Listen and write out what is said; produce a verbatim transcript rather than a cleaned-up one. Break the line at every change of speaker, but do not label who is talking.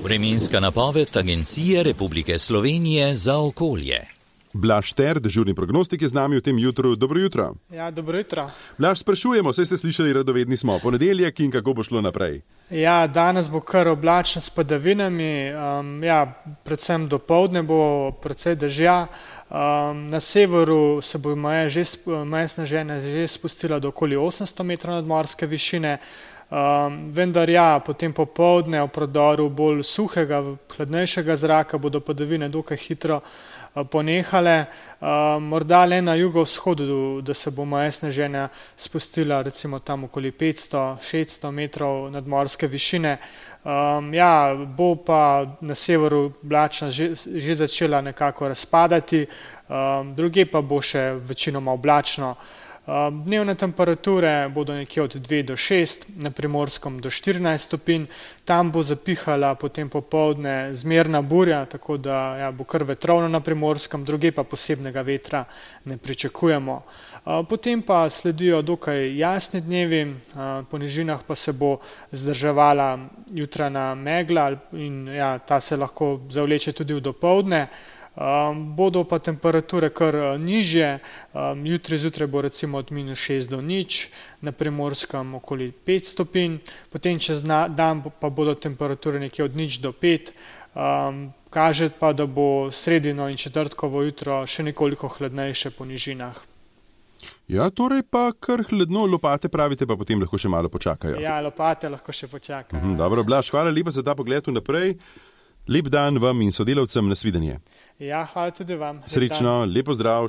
Vremenska napoved Agencije Republike Slovenije za okolje.
Blaž Ter, dežurni prognostik, je z nami v tem jutru. Dobro jutro.
Ja, dobro jutro.
Blaž, sprašujemo, saj ste slišali, radovedni smo. Ponedeljek in kako bo šlo naprej?
Ja, danes bo kar oblačno s padavinami. Um, ja, predvsem dopoldne bo precej dežja. Um, na severu se bo meja že, meja sneženja že spustila do okoli osemsto metrov nadmorske višine. Um, vendar ja, potem popoldne v prodoru bolj suhega, hladnejšega zraka bodo padavine dokaj hitro uh, ponehale. Uh, morda le na jugovzhodu, da se bo meja sneženja spustila recimo tam okoli petsto šeststo metrov nadmorske višine. Um, ja, bo pa na severu oblačnost že, že začela nekako razpadati, um, druge pa bo še večinoma oblačno. Dnevne temperature bodo nekje od dve do šest, na Primorskem do štirinajst stopinj, tam bo zapihala potem popoldne zmerna burja, tako da ja, bo kar vetrovno na Primorskem, druge pa posebnega vetra ne pričakujemo. Potem pa sledijo dokaj jasni dnevi, po nižinah pa se bo zdrževala jutranja megla in ja, ta se lahko zavleče tudi v dopoldne. Um, bodo pa temperature kar uh, nižje, um, jutri zjutraj bo recimo od minus šest do nič, na Primorskem okoli pet stopinj, potem čez na, dan pa bodo temperature nekje od nič do pet, um, kaže pa, da bo sredino in četrtkovo jutro še nekoliko hladnejše po nižinah.
Ja, torej pa kar hladno, lopate pravite, pa potem lahko še malo počakajo.
Ja, lopate lahko še počakajo.
Mhm, dobro, Blaž, hvala lepa za ta pogled vnaprej. Lep dan vam in sodelavcem, nasvidenje.
Ja, hvala tudi vam.
Srečno, lepo zdrav.